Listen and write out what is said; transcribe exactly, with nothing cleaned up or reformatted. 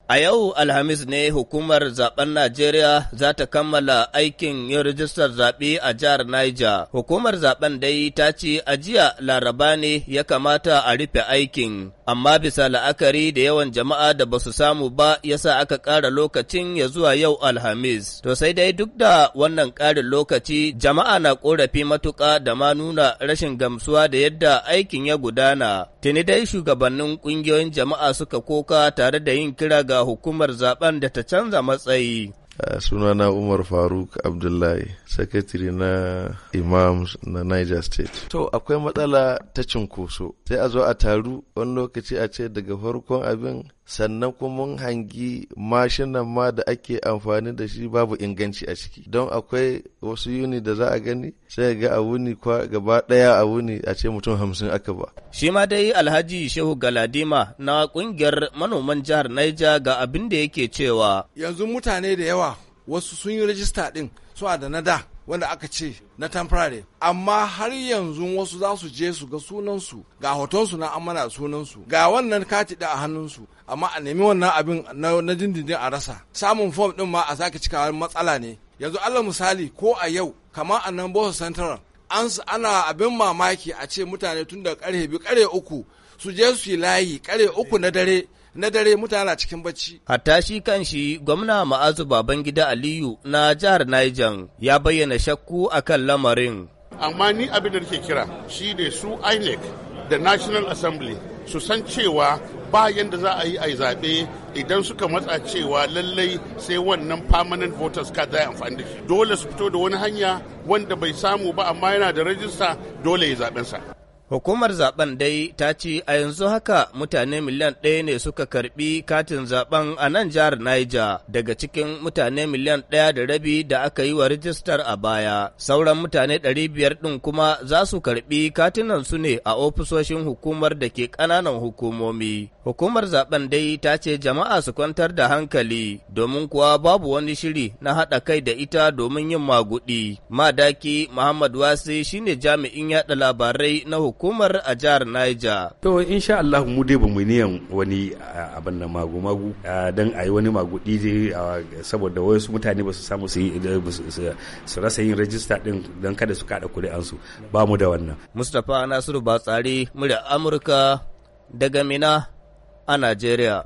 A yau Alhamis ne hukumar zaben Najeriya za ta kammala aikin yin rijistar zaɓe a jihar Niger. Hukumar zaben dai ta ce a jiya Laraba ne ya kamata a rufe aikin, amma bisa la'akari da yawan jama'a da ba su samu ba, yasa aka ƙara lokacin ya zuwa yau Alhamis. To sai dai duk da wannan ƙarin lokaci, jama'a na ƙorafi matuƙa da ma nuna rashin gamsuwa da yadda aikin ya gudana. Tuni dai shugabannin ƙungiyoyin jama'a suka koka tare da yin kira ga hukumar zaben da ta canza matsayi. Uh, sunana Umar Faruk Abdullahi, sakatare na Imams na Niger State. To akwai matsala ta cinkoso, sai a zo a taru wani lokaci a ce daga farkon abin, sannan kuma mun hangi mashinan ma da ake amfani da shi babu inganci a ciki. Don akwai wasu yuni da za a gani sai ga a wuni gaba ɗaya, a wuni a ce mutum hamsin aka ba. Shi ma dai Alhaji Shehu Galadima na kungiyar manoman jihar Niger ga abin da yake cewa. Yanzu mutane da yawa, wasu sun yi rajista ɗin, suna da na da wanda aka ce na temporary, amma har yanzu wasu za su je su ga sunansu, ga hotonsu na amana, sunansu, ga wannan kati da a hannunsu, amma a nemi wannan abin na dindindin a rasa. Samun form din ma a sake cikawa matsala ne. Yanzu Allah misali, ko a yau kamar a nan Boso Central an ana abin mamaki a ce mutane tun da karfe biyu, karfe uku su je su yi layi, karfe uku na dare na dare mutane na cikin bacci. Hatta shi kan shi gwamna Ma'azu Babangida Aliyu na jihar Niger ya bayyana shakku akan lamarin. Amma ni abin da nake kira shi ne su INEC da National Assembly su san cewa ba yanda za a yi a yi zaɓe idan suka matsa cewa lallai sai wannan permanent voters card za a amfani da shi. Dole su fito da wani hanya wanda bai samu ba amma yana da rajista, dole ya zaɓensa. Hukumar zaben dai ta ce a yanzu haka mutane miliyan ɗaya ne suka karbi katin zaben a nan jihar Niger daga cikin mutane miliyan ɗaya da rabi da aka yi wa rijistar a baya. Sauran mutane ɗari biyar ɗin kuma za su karbi katunan su ne a ofisoshin hukumar da ke ƙananan hukumomi. Hukumar zaben dai ta ce jama'a su kwantar da hankali, domin kuwa babu wani shiri na haɗa kai da ita domin yin maguɗi. Madaki Muhammad Wasi shine jami'in yaɗa labarai na hukumar a jihar Niger. To insha Allah mu dai ba mu niyan wani abin nan magu-magu don a yi wani magudi saboda wasu mutane ba su samu su su rasa yin rajista din don kada su kada kuri'ansu, ba mu da wannan. Mustapha Nasiru Batsari, murya Amurka, daga Minna a Najeriya.